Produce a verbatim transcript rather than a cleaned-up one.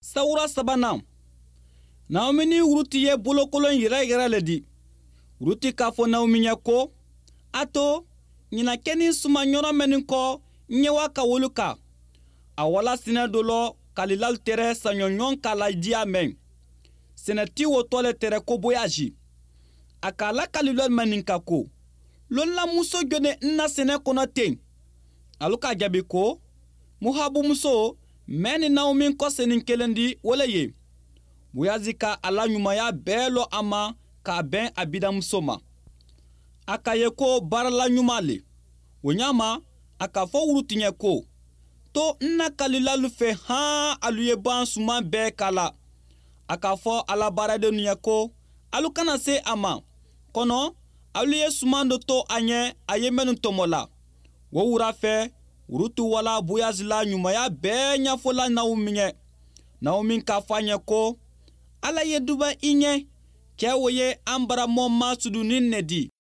Sawura sabanan, Naomi ni Ruti ye bolokolon yɛrɛ yɛrɛ le di. Ruti k'a fɔ Naomi ɲɛ ko, a to ɲinakɛni suman yɔrɔ mɛnni kɔ ɲɛwa ka wolu kan. A wala sinɛ dɔ lɔ kalilalu tɛrɛ saɲɔɲɔn k'a la diya mɛn sɛnɛti wo tɔ le tɛrɛ ko Boyazi. A k'a la kalilɔli mɛn ka ko lonlamuso jɔne n na sɛnɛ kɔnɔ ten. Alu k'a jaabi ko Mohabumuso mɛn ni Naomi kɔsenin kelen di, wo le ye. Boyazi ka a la ɲumanya bɛɛ lɔ a ma k'a bɛn a bidamuso ma. A ka ye ko baarala ɲuman le. O ɲa ma, a k'a fɔ Wuruti ɲɛ ko, to n na kalilalu fɛ han, alu ye ban suman bɛɛ k'a la. A k'a fɔ a la baaradenw ɲɛ ko, alu kana se a ma, kɔnɔ alu ye suman dɔ to a ɲɛ a ye minnu tɔmɔ la. O wura fɛ, Wurutu wala Boyazi la ɲumanya bɛɛ ɲɛfɔla Naomi ɲɛ. Naomi k'a fɔ a ɲɛ ko, Ala ye duba i ɲɛ, cɛ o ye an baramɔ ma sudunin ne di.